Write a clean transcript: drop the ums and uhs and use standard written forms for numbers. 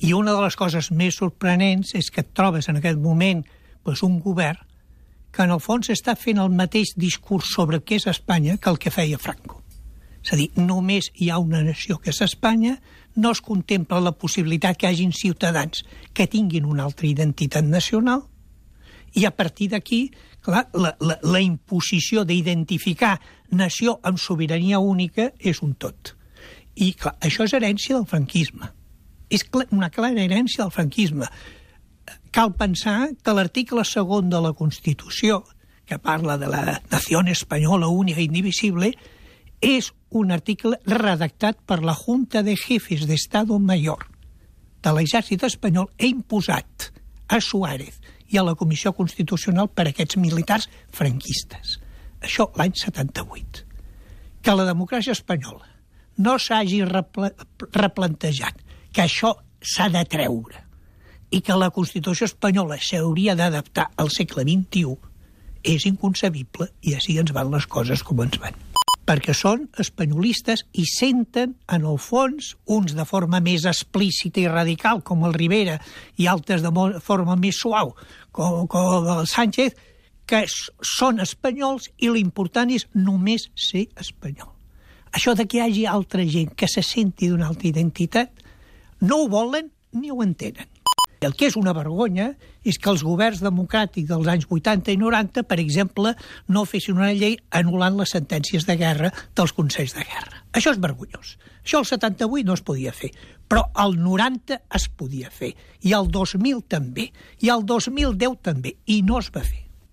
I una de les coses més sorprenents és que et trobes en aquest moment un govern que en el fons està fent el mateix discurs sobre què és Espanya que el que feia Franco. És a dir, només hi ha una nació que és Espanya, no es contempla la possibilitat que hi hagin ciutadans que tinguin una altra identitat nacional, i a partir d'aquí, clar, la imposició d'identificar nació amb sobirania única és un tot. I clar, això és herència del franquisme. És una clara herència del franquisme. Cal pensar que l'article 2 de la Constitució, que parla de la nació espanyola única i indivisible, és un article redactat per la Junta de Jefes de Estado Mayor de l'exèrcit espanyol e imposat a Suárez i a la Comissió Constitucional per aquests militars franquistes. Això l'any 78. Que la democràcia espanyola no s'hagi replantejat que això s'ha de treure i que la Constitució espanyola s'hauria d'adaptar al segle XXI és inconcebible, i així ens van les coses com ens van. Perquè són espanyolistes i senten, en el fons, uns de forma més explícita i radical, com el Rivera, i altres de forma més suau, com el Sánchez, que són espanyols i l'important és només ser espanyol. Això de que hi hagi altra gent que se senti d'una altra identitat, no ho volen ni ho entenen. El que és una vergonya és que els governs democràtics dels anys 80 i 90, per exemple, no fessin una llei anul·lant les sentències de guerra dels consells de guerra. Això és vergonyós. Això al 78 no es podia fer, però al 90 es podia fer, i al 2000 també, i al 2010 també, i no es va fer.